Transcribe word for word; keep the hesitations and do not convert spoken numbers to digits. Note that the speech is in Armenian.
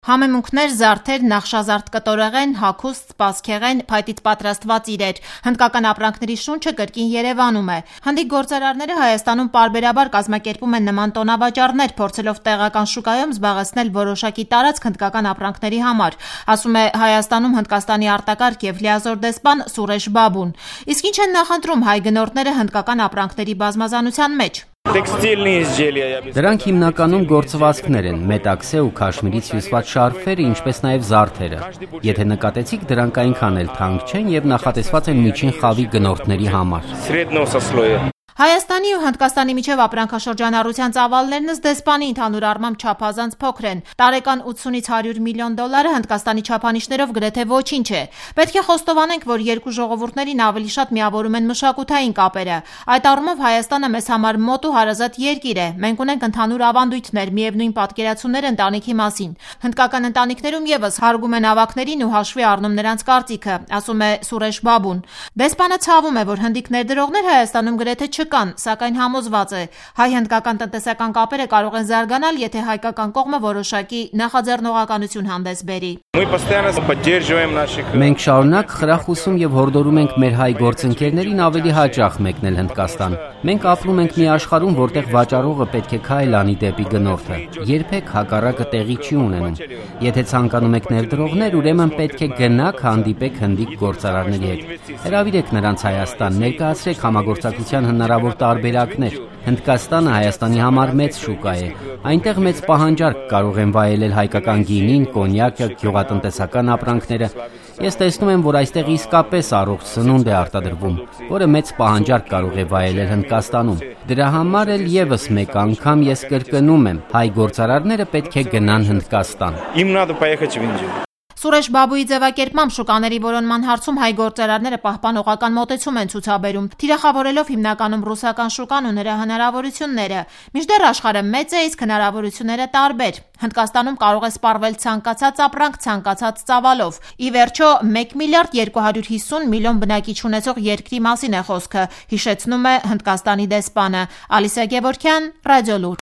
Համեմունքներ, զարդեր, նախշազարդ կտորեղեն, հագուստ, սպասքեղեն, փայտից պատրաստված իրեր։ Հնդկական ապրանքների շունչը կրկին Երևանում է։ Հնդիկ գործարարները Հայաստանում պարբերաբար կազմակերպում են նման տոնավաճառներ, փորձելով տեղական շուկայում զբաղեցնել որոշակի տարածք հնդկական ապրանքների համար, ասում է Հայաստանում Հնդկաստանի արտակարգ և լիազոր դեսպան Սուրեշ Բաբուն։ Իսկ ինչ են նախընտրում հայ գնորդները հնդկական ապրանքների բազմազանության մեջ։ Դրանք հիմնականում գործվածքներ են, մետաքսե ու քաշմիրից հյուսված շարֆերը, ինչպես նաև զարդերը։ Եթե նկատեցիք, դրանք այնքան էլ թանկ չեն և նախատեսված են միջին խավի գնորդների համար։ Հայաստանի ու Հնդկաստանի միջև ապրանքաշրջանառության ծավալներն ըստ դեսպանի ընդհանուր առմամբ չափազանց փոքր են։ Տարեկան ութսունից հարյուր միլիոն դոլարը Հնդկաստանի չափանիշներով գրեթե ոչինչ է։ Պետք է խոստովանենք, որ երկու ժողովուրդներին ավելի շատ միավորում են մշակութային կապերը։ Այդ առումով Հայաստանը մեզ համար մոտ ու հարազատ երկիր է։ Մենք ունենք ընդհանուր ավանդույթներ, միևնույն պատկերացումներ ընտանիքի մասին։ Հնդկական ընտանիքներում ևս հարգում են ավագներին ու հաշվի առնում նրանց կարծիքը, ասում է Սուրեշ Բաբուն։ Դեսպանը ցավում է, որ հնդիկ ներդրողներ Հայաստանում գրեթե չկան, սակայն համոզված է, հայ-հնդկական տնտեսական կապերը կարող են զարգանալ, եթե հայկական կողմը որոշակի նախաձեռնողականություն հանդես բերի։ Մենք շարունակ խրախուսում և հորդորում ենք մեր հայ գործընկերներին ավելի հաճախ մեկնել Հնդկաստան։ Մենք ապրում ենք մի աշխարհում, որտեղ վաճառողը պետք է քայլ անի դեպի գնորդը։ Երբեք հակառակը տեղի չի ունենում։ Եթե ցանկանում եք ներդրողներ, ուրեմն պետք է գնաք հանդիպեք հնդիկ գործարարների հետ։ Հրավիրեք նրանց Հայաստան, ներկայացրեք համագործակցության հնարավոր տարբերակներ։ Հնդկաստանը Հայաստանի համար մեծ շուկա է։ Այնտեղ մեծ պահանջարկ կարող են վայելել հայկական գինին, կոնյակը, գյուղատնտեսական ապրանքները։ Ես տեսնում եմ, որ այստեղ իսկապես առողջ սնունդ է արտադրվում, որը մեծ պահանջարկ կարող է վայելել Հնդկաստանում։ Դրա համար էլ ևս մեկ անգամ ես կրկնում եմ, հայ գործարարները պետք է գնան Հնդկաստան։ Սուրեշ Բաբուի ձևակերպմամբ շուկաների որոնման հարցում հայ գործարարները պահպանողական մոտեցում են ցուցաբերում, թիրախավորելով հիմնականում ռուսական շուկան ու նրա հնարավորությունները։ Մինչդեռ աշխարհը մեծ է, իսկ հնարավորությունները տարբեր։ Հնդկաստանում կարող է սպառվել ցանկացած ապրանք ցանկացած ծավալով։ Ի վերջո, մեկ միլիարդ երկու հարյուր հիսուն միլիոն բնակիչ ունեցող երկրի մասին է խոսքը, հիշեցնում է Հնդկաստանի դեսպանը։ Ալիսա Գևորգյան, Ռադիոլուր։